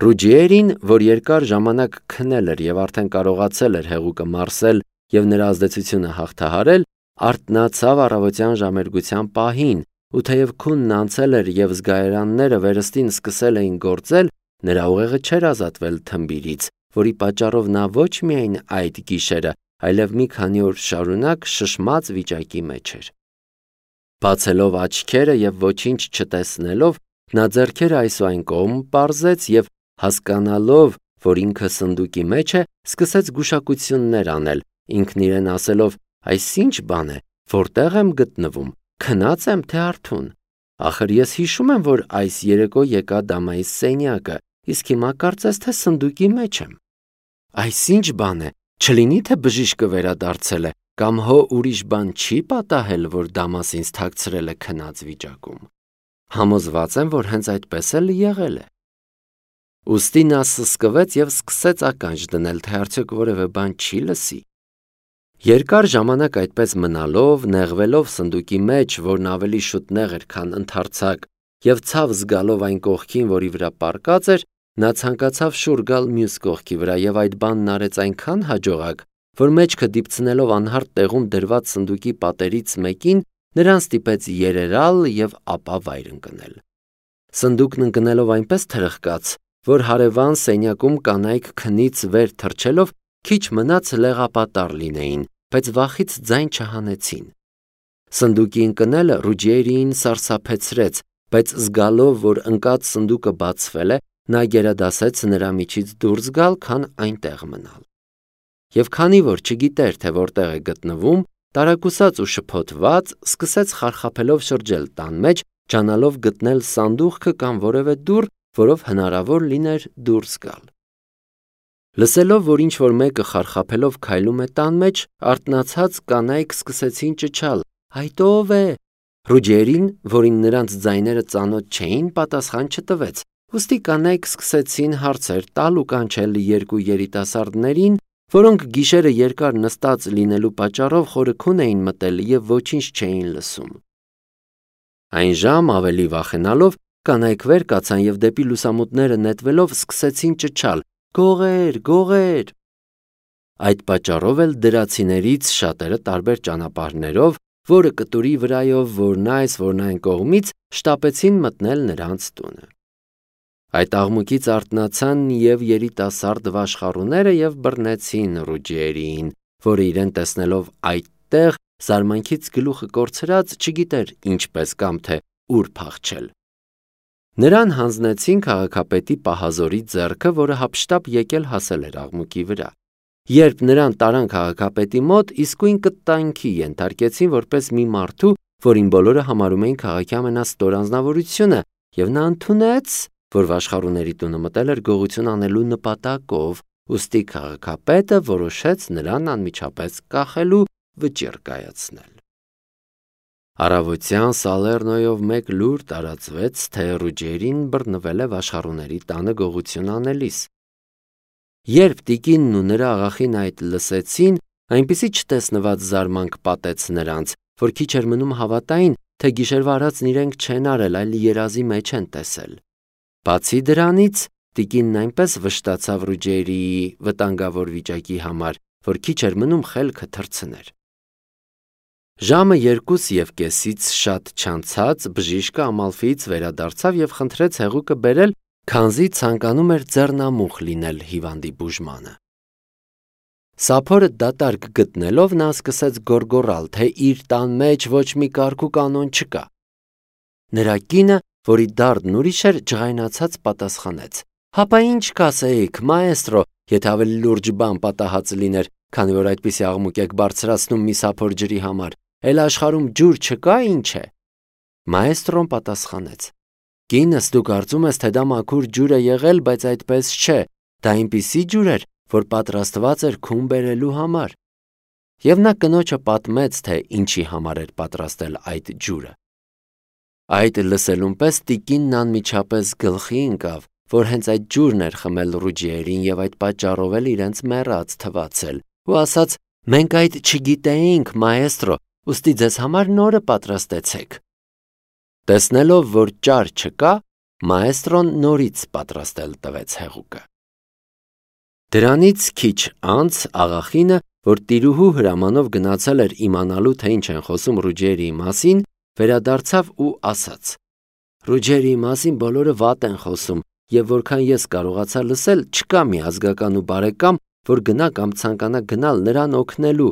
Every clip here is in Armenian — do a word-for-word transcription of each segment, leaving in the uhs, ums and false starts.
Ռուջիերին, որ երկար ժամանակ քնել էր և արդեն կարողացել էր հեղուկը մարսել և նրա ազդեցությունը հաղթահարել, արթնացավ առավոտյան ժամերգության պահին, ու թեև քունն անցել էր և զգայարանները վերստին սկսել էին գործել, նրա ուղեղը չէր ազատվել թմբիրից, որի պատճառով նա ոչ միայն այդ գիշերը, այլև մի քանի օր շարունակ շշմած վիճակի մեջ էր։ Բացելով աչքերը և ոչինչ չտեսնելով, նա ձեռքերը այս ու այն կողմ պարզեց և հասկանալով, որ ինքը սնդուկի մեջ է, սկսեց գուշակություններ անել, ինքն իրեն ասելով. «Այս ի՞նչ բան է, որտե՞ղ եմ գտնվում, քնած եմ, թե արթուն։ Ախր ես հիշում եմ, որ այս երեկո եկա դամայիս սենյակը, իսկ հիմա կարծես թե սնդուկի մեջ եմ։ Այս ի՞նչ բան է, չլինի թե բժիշկը վերադարձել է, կամ հո ուրիշ բան չի պատահել, որ դամաս ինձ թաքցրել է քնած վիճակում։ Համոզված եմ, որ հենց այդպես էլ եղել է»։ Ուստի նա սսկվեց և սկսեց ականջ դնել, թե արդյոք որևէ բան չի լսի։ Երկար ժամանակ այդպես մնալով, նեղվելով սնդուկի մեջ, որն ավելի շուտ նեղ էր, քան ընդարձակ, և ցավ զգալով այն կողքին, որի վրա պառկած էր, նա ցանկացավ շուռ գալ մյուս կողքի վրա և այդ բանն արեց այնքան հաջողակ, որ մեջքը դիպցնելով անհարթ տեղում դրված սնդուկի պատերից մեկին, նրան ստիպեց երերալ և ապա վայր ընկնել։ Սնդուկն ընկնելով այնպես թրխկաց, որ հարևան սենյակում կանայք քնից վեր թռչելով քիչ մնաց լեղապատառ լինեին, բայց վախից ձայն չհանեցին։ Սնդուկի ընկնելը Ռուջիերիին սարսափեցրեց, բայց զգալով, որ ընկած սնդուկը բացվել է, նա գերադասեց նրա միջից դուրս գալ, քան այնտեղ մնալ։ Եվ քանի որ չգիտեր, թե որտեղ է գտնվում, տարակուսած ու շփոթված, սկսեց խարխափելով շրջել տան մեջ, ջանալով գտնել սանդուղքը կամ որևէ դուռ, որով հնարավոր լիներ դուրս գալ։ Լսելով, որ ինչ-որ մեկը խարխափելով քայլում է տան մեջ, արթնացած կանայք սկսեցին ճչալ. «Այդ ո՞վ է»։ Ռուջիերին, որին նրանց ձայները ծանոթ չէին, պատասխան չտվեց, ուստի կանայք սկսեցին հարցեր տալ ու կանչել երկու երիտասարդներին, որոնք գիշերը երկար նստած լինելու պատճառով խորը քուն էին մտել և ոչինչ չէին լսում։ Այն ժամ, ավելի վախենալով, կանայք վեր կացան և դեպի լուսամուտները նետվելով սկսեցին ճչալ. «Գողե՜ր, գողե՜ր»։ Այդ պատճառով էլ դրացիներից շատերը տարբեր ճանապարհներով, որը կտուրի վրայով, որն այս, որն այն կողմից, շտապեցին մտնել նրանց տունը։ Այդ աղմուկից արթնացան և երիտասարդ վաշխառուները և բռնեցին Ռուջիերիին, որը իրեն տեսնելով այդտեղ, զարմանքից գլուխը կորցրած, չգիտեր ինչպես կամ թե ուր փախչել։ Նրան հանձնեցին քաղաքապետի պահազորի ձեռքը, որը հափշտապ եկել հասել էր աղմուկի վրա։ Երբ նրան տարան քաղաքապետի մոտ, իսկույն կտանքի ենթարկեցին որպես մի մարդու, որին բոլորը համարում էին քաղաքի ամենաստոր անձնավորությունը, և նա ընդունեց, որ վաշխառուների տունը մտել էր գողություն անելու նպատակով, ուստի քաղաքապետը որոշեց նրան անմիջապես կախել ու վճիռ կայացնել։ Առավոտյան Սալեռնոյով մեկ լուր տարածվեց, թե Ռուջիերին բռնվել է վաշխառուների տանը գողություն անելիս։ Երբ տիկինն ու նրա աղախին այդ լսեցին, այնպիսի չտեսնված զարմանք պատեց նրանց, որ քիչ էր մնում հավատային, թե գիշերվա արածն իրենք չեն արել, այլ երազի մեջ են տեսել։ Բացի դրանից, տիկինն այնպես վշտացավ Ռուջիերիի վտանգավոր վիճակի համար, որ քիչ էր մնում խելքը թռցներ։ Ժամը երկուս և կեսից շատ չանցած բժիշկը Ամալֆիից վերադարձավ և խնդրեց հեղուկը բերել, քանզի ցանկանում էր ձեռնամուխ լինել հիվանդի բուժմանը։ Սափորը դատարկ գտնելով, նա սկսեց գոռգոռալ, թե իր տան մեջ ոչ մի կարգ ու կանոն չկա։ Նրա կինը, որի դարդն ուրիշ էր, ջղայնացած պատասխանեց. «Հապա ինչ կասեիք, մաեստրո, եթե ավելի լուրջ բան պատահած լիներ, քանի որ այդպիսի աղմուկ եք բարձրացնում մի սափոր ջրի համար, էլ աշխարհում ջուր չկա, ինչ է»։ Մաեստրոն պատասխանեց. «Կինս, դու կարծում ես, թե դա մաքուր ջուր է եղել, բայց այդպես չէ, դա այնպիսի ջուր էր, որ պատրաստված էր քուն բերելու համար»։ Եվ նա կնոջը պատմեց, թե ինչի համար էր պատրաստել այդ ջուրը։ Այդ լսելուն պես տիկինն անմիջապես գլխի ընկավ, որ հենց այդ ջուրն էր խմել Ռուջիերին և այդ պատճառով էլ իրենց մեռած թվացել, ու ասաց. «Մենք այդ չգիտեինք, մաեստրո, ուստի ձեզ համար նորը պատրաստեցեք»։ Տեսնելով, որ ճար չկա, մաեստրոն նորից պատրաստել տվեց հեղուկը։ Դրանից քիչ անց աղախինը, որ տիրուհու հրամանով գնացել էր իմանալու, թե ինչ են խոսում Ռուջերիի մասին, վերադարձավ ու ասաց. «Ռուջերիի մասին բոլորը վատ են խոսում, եւ որքան ես կարողացա լսել, չկա մի ազգական ու բարեկամ, որ գնա կամ ցանկանա գնալ նրան օգնելու,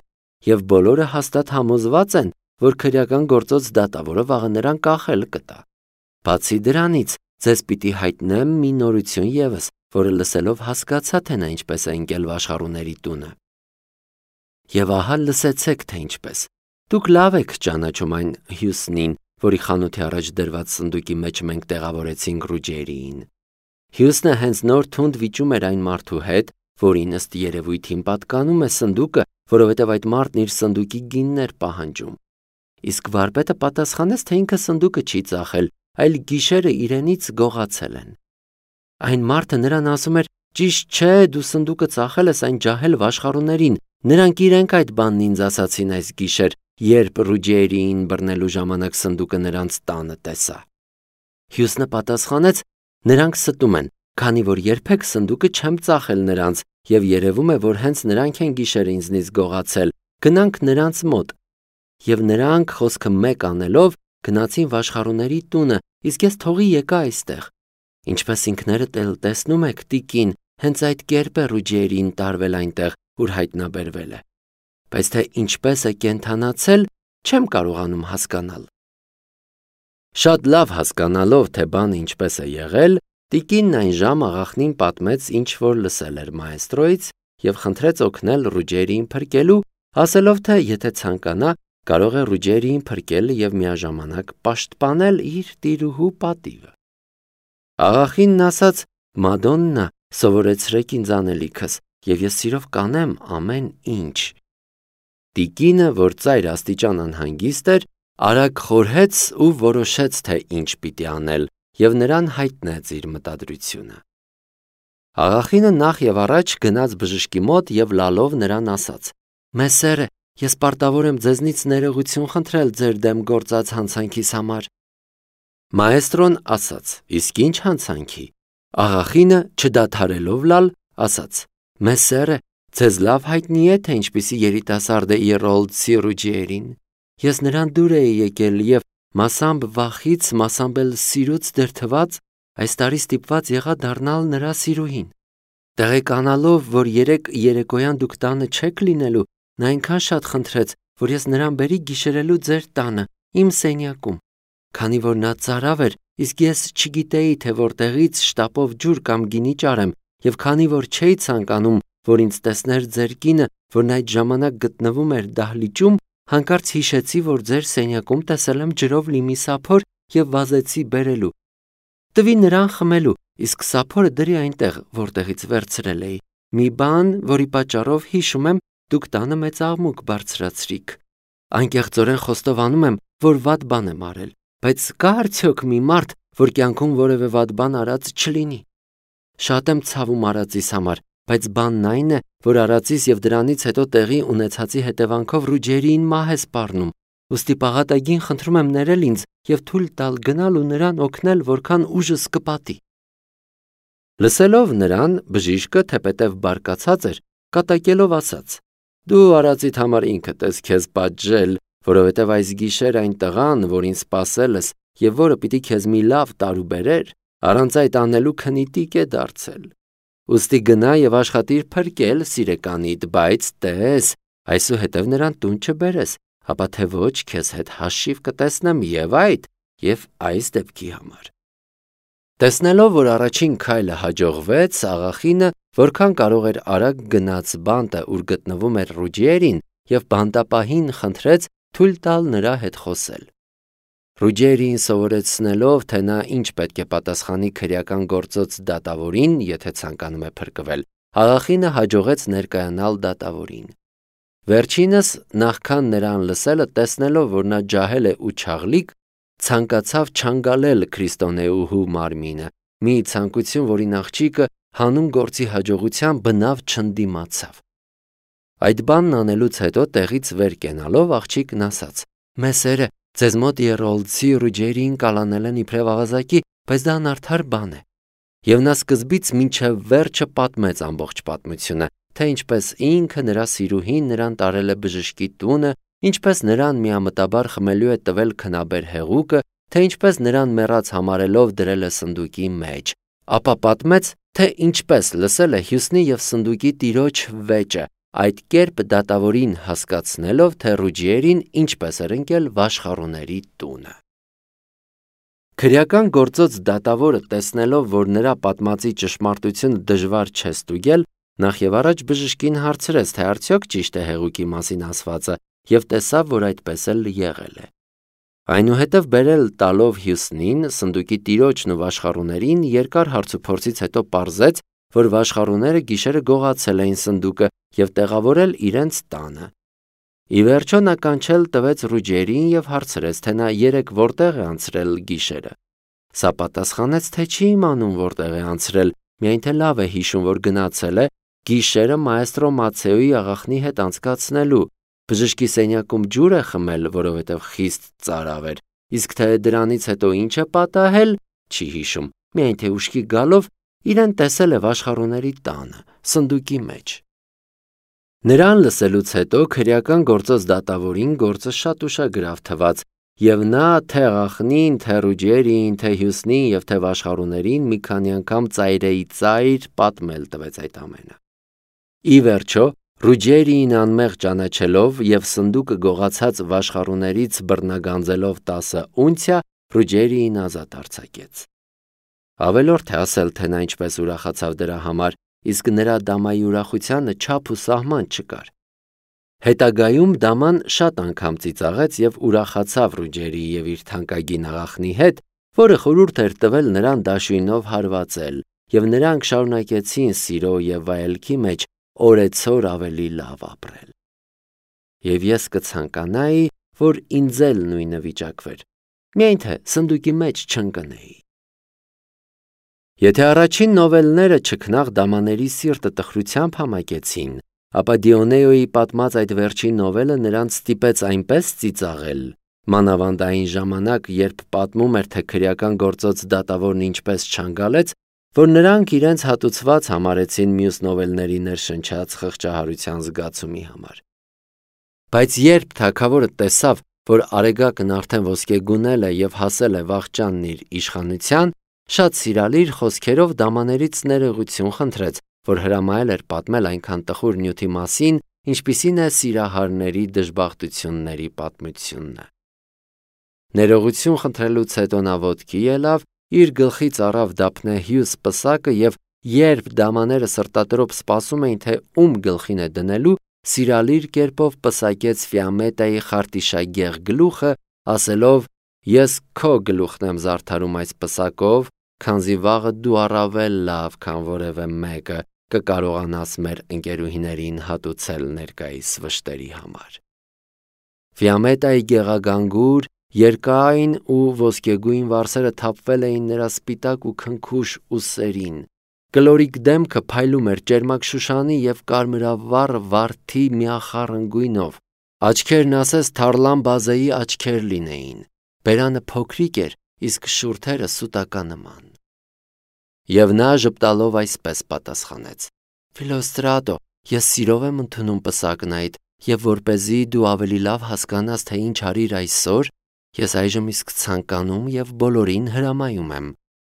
եւ բոլորը հաստատ համոզված են, որ քրեական գործոց դատավորը վաղը նրան կախել կտա։ Բացի դրանից, ձեզ պիտի հայտնեմ մի նորություն ևս, որը լսելով հասկացա, թե նա ինչպես է ընկել վաշխառուների տունը։ Եվ ահա լսեցեք, թե ինչպես։ Դուք լավ եք ճանաչում այն Հյուսնին, որի խանութի առաջ դրված սնդուկի մեջ մենք տեղավորեցինք Ռուջերիին։ Հյուսնը հենց նոր թունդ վիճում էր այն մարդու հետ, որին ըստ երևույթին պատկանում է սնդուկը, որովհետև այդ մարդն իր սնդուկի գինն էր պահանջում։ Իսկ վարպետը պատասխանեց, թե ինքը սնդուկը չի ծախել, այլ գիշերը իրենից գողացել են։ Այն մարդը նրան ասում էր. «Ճիշտ չէ, դու սնդուկը ծախել ես այն ջահել վաշխառուներին, նրանք իրենք այդ բանն ինձ ասացին այս գիշեր, երբ Ռուջերիին բռնելու ժամանակ սնդուկը նրանց տանը տեսա»։ Հյուսնը պատասխանեց. «Նրանք ստում են, քանի որ երբեք սնդուկը չեմ ծախել նրանց, եւ երևում է, որ հենց նրանք են գիշերը ինձնից գողացել, գնանք նրանց մոտ»։ Եվ նրանք, խոսքը մեկ անելով, գնացին վաշխառուների տունը, իսկ ես թողի եկա այստեղ։ Ինչպես ինքներդ էլ տեսնում եք, տիկին, հենց այդ կերպ է Ռուջերիին տարվել այնտեղ, ուր հայտնաբերվել է։ Բայց թե ինչպես է կենդանացել, չեմ կարողանում հասկանալ։ Շատ լավ հասկանալով, թե բանը ինչպես է եղել, տիկինն այն ժամ աղախնին պատմեց, ինչ որ լսել էր մաեստրոից, եւ խնդրեց օգնել Ռուջերիին փրկելու, ասելով, թե եթե ցանկանա, կարող է Ռուջերիին փրկել եւ միաժամանակ պաշտպանել իր տիրուհու պատիվը։ Աղախինն ասաց. «Մադոննա, սովորեցրեք ինձ անելիքս, եւ ես սիրով կանեմ ամեն ինչ»։ Տիկինը, որ ծայր աստիճան անհանգիստ էր, արագ խորհեց ու որոշեց, թե ինչ պիտի անել, եւ նրան հայտնեց իր մտադրությունը։ Աղախինը նախ եւ առաջ գնաց բժշկի մոտ եւ լալով նրան ասաց. «Մեսերը, ես պարտավոր եմ ձեզնից ներողություն խնդրել ձեր դեմ գործած հանցանքիս համար»։ Մաեստրոն ասաց. «Իսկ ինչ հանցանքի»։ Աղախինը, չդադարելով լալ, ասաց. «Մեսերը, ձեզ լավ հայտնի է, թե ինչպիսի երիտասարդ է Իռոլդսի Ռուջերին։ Ես նրան դուր էի եկել եւ մասամբ վախից, մասամբ էլ սիրուց դրդված, այս տարի ստիպված եղա դառնալ նրա սիրուհին։ Տեղեկանալով, որ երեք երեկոյան դուք տանը չեք լինելու, նա այնքան շատ խնդրեց, որ ես նրան բերի գիշերելու ձեր տանը, իմ սենյակում։ Քանի որ նա ծարավ էր, իսկ ես չգիտեի, թե որտեղից շտապով ջուր կամ գինի ճարեմ, եւ քանի որ չէի ցանկանում, որ ինձ տեսներ ձեր կինը, որն այդ ժամանակ գտնվում էր դահլիճում, հանկարծ հիշեցի, որ ձեր սենյակում տեսել եմ ջրով լի մի սափոր եւ վազեցի բերելու։ Տվի նրան խմելու, իսկ սափորը դրի այնտեղ, որտեղից վերցրել էի։ Մի բան, որի պատճառով հիշում եմ, դուք տանը մեծ աղմուկ բարձրացրիք։ Անկեղծորեն խոստովանում եմ, որ վատ բան եմ արել, բայց կա արդյոք մի մարդ, որ կյանքում որևէ վատ բան արած չլինի։ Շատ եմ ցավում արածիս համար, բայց բանն այն է, որ արածիս եւ դրանից հետո տեղի ունեցածի հետևանքով Ռուջերիին մահ է սպառնում, ուստի պաղատագին խնդրում եմ ներել ինձ եւ թույլ տալ գնալ ու նրան օգնել, որքան ուժս կպատի։ Լսելով նրան, բժիշկը, թեպետև բարկացած էր, կատակելով ասաց. «Դու արածիդ համար ինքդ ես քեզ պատժել, որովհետև այս գիշեր այն տղան, որին սպասել ես եւ որը պիտի քեզ մի լավ տարու բերեր, առանց այդ անելու քնիտիկ է դարձել։ Ուստի գնա եւ աշխատիր փրկել սիրեկանիդ, բայց տես, այսուհետև նրան տուն չբերես, հապա թե ոչ քեզ հետ հաշիվ կտեսնեմ եւ այդ եւ այս դեպքի համար»։ Տեսնելով, որ առաջին քայլը հաջողվեց, աղախինը, որքան կարող էր արագ գնաց բանտը, ուր գտնվում էր Ռուջերին, եւ բանտապահին խնդրեց թույլ տալ նրա հետ խոսել։ Ռուջերիին սովորեցնելով, թե նա ինչ պետք է պատասխանի քրեական գործոց դատավորին, եթե ցանկանում է փրկվել, աղախինը հաջողեց ներկայանալ դատավորին։ Վերջինս, նախքան նրան լսելը, տեսնելով, որ նա ջահել է ու չաղլիկ, ցանկացավ չանգալել քրիստոնեուհու մարմինը, մի ցանկություն, որին աղջիկը հանուն գործի հաջողության բնավ չընդդիմացավ։ Այդ բանն անելուց հետո տեղից վեր կենալով աղջիկն ասաց. «Մեսերը, ձեզ մոտ Իռոլդսի Ռուջերիին կալանել են իբրև ավազակի, բայց դա անարդար բան է։ Եվ նա սկզբից մինչև վերջը պատմեց ամբողջ պատմությունը, թե ինչպես ինքը նրա սիրուհին նրան տարել է բժշկի տունը, ինչպես նրան միամտաբար խմելու է տվել քնաբեր հեղուկը, թե ինչպես նրան մեռած համարելով դրել է սնդուկի մեջ, ապա պատմեց, թե ինչպես լսել է Հյուսնի և սնդուկի տիրոջ վեճը, այդ կերպ դատավորին հասկացնելով, թե Ռուջիերին ինչպես էր ընկել վաշխառուների տունը։ Քրեական գործոց դատավորը տեսնելով, որ նրա պատմածի ճշմարտությունը դժվար չէ ստուգել, նախ եւ առաջ բժշկին հարցրեց, թե արդյոք ճիշտ է հեղուկի մասին ասվածը, եւ տեսավ, որ այդպես էլ եղել է։ Այնուհետև բերել տալով Հյուսնին, սնդուկի տիրոջն ու վաշխառուներին, երկար հարցուփորձից հետո պարզեց, որ վաշխառուները գիշերը գողացել էին սնդուկը եւ տեղավորել իրենց տանը։ Ի վերջո նա կանչել տվեց Ռուջիերին եւ հարցրեց, թե նա երեք որտեղ է անցրել գիշերը։ Սա պատասխանեց, թե չի իմանում որտեղ է անցրել, միայն թե լավ է հիշում, որ գնացել է գիշերը մայստրո Մացեոյի աղախնի հետ անցկացնելու, բժշկի սենյակում ջուր է խմել, որովհետև խիստ ծարավ էր, իսկ թե դրանից հետո ինչ է պատահել, չի հիշում, միայն թե ուշքի գալով իրեն տեսել է վաշխառուների տանը, սնդուկի մեջ։ Նրան լսելուց հետո քրեական գործոց դատավորին գործը շատ ուշագրավ թվաց, եւ նա թե աղախնին, թե Ռուջիերին, թե Հյուսնին եւ թե վաշխառուներին մի քանի անգամ ծայրեի ծայր պատմել տվեց այդ ամենը։ Ի վերջո Ռուջիերին անմեղ ճանաչելով եւ սնդուկը գողացած վաշխառուներից բռնագանձելով տասը ունցիա, Ռուջիերին ազատ արձակեց։ Ավելորդ է ասել, թե նա ինչպես ուրախացավ դրա համար, իսկ նրա դամայի ուրախությանը չափ ու սահման չկար։ Հետագայում դաման շատ անգամ ծիծաղեց եւ ուրախացավ Ռուջիերի եւ իր թանկագին աղախնի հետ, որը խորհուրդ էր տվել նրան դաշույնով հարվածել, եւ նրանք շարունակեցին սիրո եւ վայելքի մեջ օրեցօր ավելի լավ ապրել։ Եվ ես կցանկանայի, որ ինձ էլ նույնը վիճակվեր, միայն թե սնդուկի մեջ չընկնեի։ Եթե առաջին նովելները չքնաղ դամաների սիրտը տխրությամբ համակեցին, ապա Դիոնեոյի պատմած այդ վերջին նովելը նրանց ստիպեց այնպես ծիծաղել, մանավանդ այն ժամանակ, երբ պատմում էր, թե քրեական գործոց դատավորն ինչպես չանգալեց, որ նրանք իրենց հատուցված համարեցին մյուս նովելների ներշնչած խղճահարության զգացումի համար։ Բայց երբ թագավորը տեսավ, որ Արեգակն արդեն ոսկեգունել է եւ հասել է վախճանն իր իշխանության, շատ սիրալիր խոսքերով դամաներից ներողություն խնդրեց, որ հրամայել էր պատմել այնքան տխուր նյութի մասին, ինչպիսին է սիրահարների դժբախտությունների պատմությունը։ Ներողություն խնդրելուց հետո նա ոտքի ելավ, իր գլխից առավ Դափնեհյուս պսակը եւ երբ դամաները սրտատրոփ սպասում էին, թե ում գլխին է դնելու, սիրալիր կերպով պսակեց Ֆիամետայի խարտիշագեղ գլուխը, ասելով. «Ես քո գլուխն եմ զարդարում այս պսակով, քանզի վաղը դու առավել լավ, քան որևէ մեկը կկարողանաս մեր ընկերուհիներին հատուցել ներկայիս վշտերի համար»։ Ֆիամետայի գեղագանգուր, երկայն ու ոսկեգույն վարսերը թափվել էին նրա սպիտակ ու քնքուշ ուսերին, կլորիկ դեմքը փայլում էր ճերմակ շուշանի և կարմրավառ վարդի միախառն գույնով, աչքերն ասես թարլան բազեի աչքեր լինեին, բերանը փոքրիկ էր, իսկ շուրթերը սուտականնման։ Եվ նա ժպտալով այսպես պատասխանեց. «Ֆիլոստրատո, ես սիրով եմ ընդունում պսակն այդ, և որպեսզի դու ավելի լավ հասկանաս, թե ինչ արիր այսօր, ես այժմ իսկ ցանկանում և բոլորին հրամայում եմ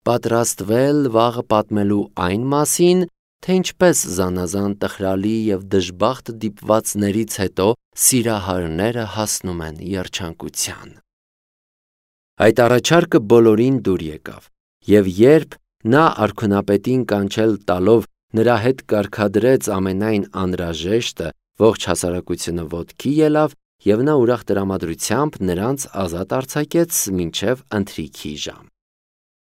պատրաստվել վաղը պատմելու այն մասին, թե ինչպես զանազան տխրալի և դժբախտ դիպվածներից հետո սիրահարները հասնում են երջանկության»։ Այդ առաջարկը բոլորին դուր եկավ, և երբ նա արքունապետին կանչել տալով նրա հետ կարգադրեց ամենայն անհրաժեշտը, ողջ հասարակությունը ոտքի ելավ, և նա ուրախ տրամադրությամբ նրանց ազատ արձակեց մինչև ընթրիքի ժամ։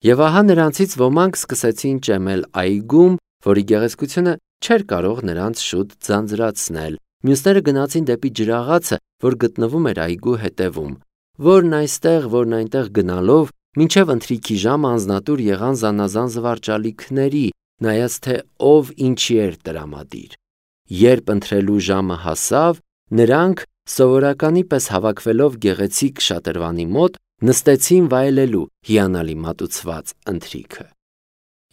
Եվ ահա նրանցից ոմանք սկսեցին ճեմել այգում, որի գեղեցկությունը չէր կարող նրանց շուտ ձանձրացնել, մյուսները գնացին դեպի ջրաղացը, որ գտնվում էր այգու հետևում, որն այստեղ, որն այնտեղ գնալով, մինչև ընթրիքի ժամը անձնատուր եղան զանազան զվարճալիքների, նայած թե ով ինչի էր տրամադիր։ Երբ ընթրելու ժամը հասավ, նրանք, սովորականի պես հավաքվելով գեղեցիկ շատրվանի մոտ, նստեցին վայելելու հիանալի մատուցված ընթրիքը։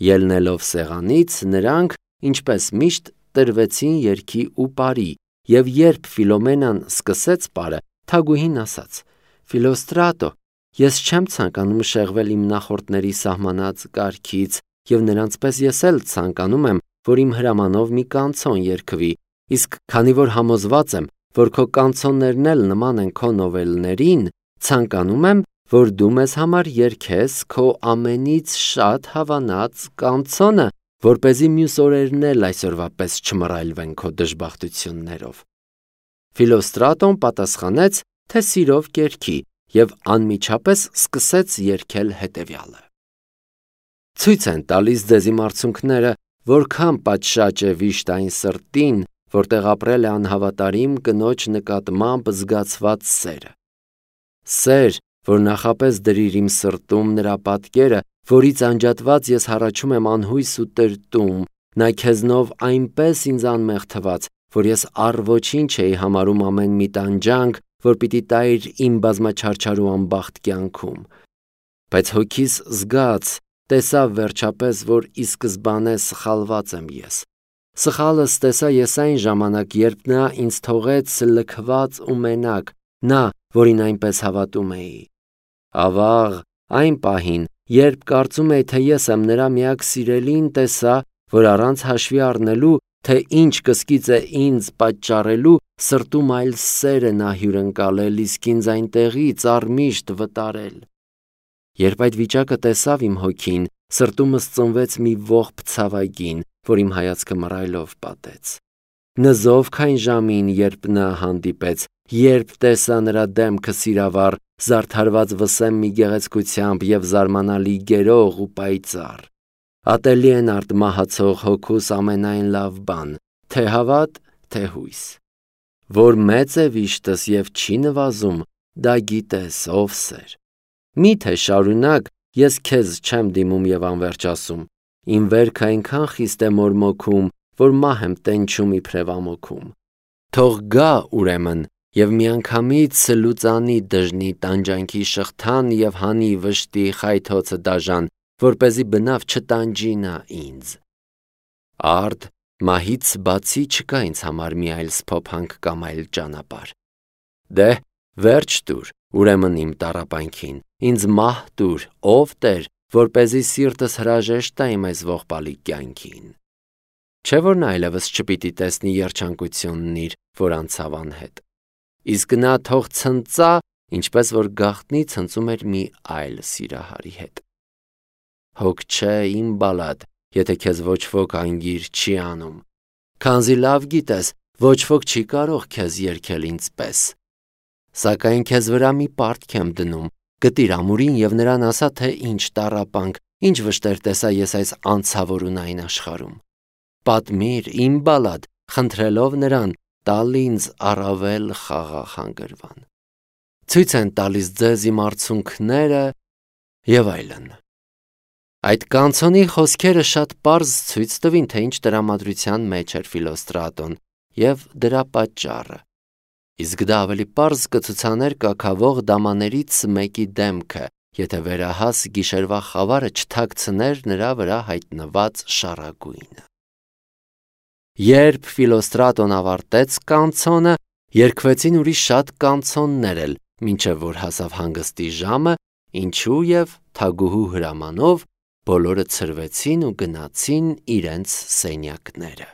Ելնելով սեղանից, նրանք, ինչպես միշտ, տրվեցին երգի ու պարի, և երբ Ֆիլոմենան սկսեց պարը, թագուհին ասաց. «Ֆիլոստրատո, ես չեմ ցանկանում շեղվել իմ նախորդների սահմանած կարգից, և նրանց պես ես էլ ցանկանում եմ, որ իմ հրամանով մի կանցոն երգվի, իսկ քանի որ համոզված եմ, որ քո կանցոններն էլ նման են քո նովելներին, ցանկանում եմ, որ դու մեզ համար երգես քո ամենից շատ հավանած կանցոնը, որպեսզի մյուս օրերն էլ այսօրվա պես չմռայլվեն քո դժբախտություններով»։ Ֆիլոստրատոն պատասխանեց, թե սիրով կերգի, և անմիջապես սկսեց երգել հետևյալը. Ցույց են տալիս ձեզ իմ արցունքները, որքան պատշաճ է վիշտ այն սրտին, որտեղ ապրել է անհավատարիմ կնոջ նկատմամբ զգացված սերը։ Սեր, որ նախապես դրիր իմ սրտում նրա պատկերը, որից անջատված ես հառաչում եմ անհույս ու տրտում, նա քեզնով այնպես ինձ անմեղ թվաց, որ ես առ ոչինչ էի համարում ամեն մի տանջանք, որ պիտի տայր իմ բազմաչարչար ու անբախտ կյանքում։ Բայց հոգիս զգաց, տեսավ վերջապես, որ ի սկզբանե սխալված եմ ես։ Սխալս տեսա ես այն ժամանակ, երբ նա ինձ թողեց լքված ու մենակ, նա, որին այնպես հավատում էի։ Ավաղ, այն պահին, երբ կարծում էի, թե ես եմ նրա միակ սիրելին, տեսա, որ առանց հաշվի առնելու, թե ինչ կսկիծ է ինձ պատճառելու, սրտում այլ սեր է նա հյուրընկալել, իսկ ինձ այնտեղից առմիշտ վտարել։ Երբ այդ վիճակը տեսավ իմ հոգին, սրտումս ծնվեց մի ողբ ցավագին, որ իմ հայացքը մռայլով պատեց։ Նզովք այն ժամին, երբ նա հանդիպեց, երբ տեսա նրա դեմքը սիրավառ, զարդարված վսեմ մի գեղեցկությամբ և զարմանալի գերող ու պայծառ։ Ատելի են արդ մահացող հոգուս ամենայն լավ բան, թե հավատ, թե հույս։ Որ մեծ է վիշտս և չի նվազում, դա գիտես, ով սեր։ Մի՞թե շարունակ ես քեզ չեմ դիմում և անվերջ ասում, իմ վերքը այնքան խիստ է մորմոքում, որ մահ եմ տենչում իբրև ամոքում։ Թող գա ուրեմն և միանգամից լուծանի դժնի տանջանքի շղթան և հանի վշտի խայթոցը դաժան, որպեսզի բնավ չտանջի նա ինձ։ Արդ, մահից բացի չկա ինձ համար մի այլ սփոփանք կամ այլ ճանապարհ։ Դե, վերջ տուր, ուրեմն իմ տառապանքին, ինձ մահ տուր, ով Տեր, որպեսզի սիրտս հրաժեշտ տա իմ այս ողբալի կյանքին։ Չէ՞ որ նա այլևս չպիտի տեսնի երջանկությունն իր, որ անցավ անհետ։ Իսկ նա թող ցնծա, ինչպես որ գաղտնի ցնծում էր մի այլ սիրահարի հետ։ Հոգ չէ, իմ բալադ, եթե քեզ ոչ ոք անգիր չի անում, քանզի լավ գիտես, ոչ ոք չի կարող քեզ երգել ինձ պես։ Սակայն քեզ վրա մի պարտք եմ դնում, գտիր ամուրին և նրան ասա, թե ինչ տառապանք, ինչ վշտեր տեսա ես այս անցավորունային աշխարհում։ Պատմիր, իմ բալադ, խնդրելով նրան, տալ ինձ առավել խաղաղ հանգրվան։ Ցույց են տալիս ձեզ իմ արցունքները և այլն։ Այդ կանցոնի խոսքերը շատ պարզ ցույց տվին, թե ինչ տրամադրության մեջ էր Ֆիլոստրատոն և դրա պատճառը։ Իսկ դա ավելի պարզ կցուցաներ կաքավող դամաներից մեկի դեմքը, եթե վերահաս գիշերվա խավարը չթաքցներ նրա վրա հայտնված շառագույնը։ Երբ Ֆիլոստրատոն ավարտեց կանցոնը, երգվեցին ուրիշ շատ կանցոններ էլ, մինչև որ հասավ հանգստի ժամը, ինչու և թագուհու հրամանով բոլորը ցրվեցին ու գնացին իրենց սենյակները։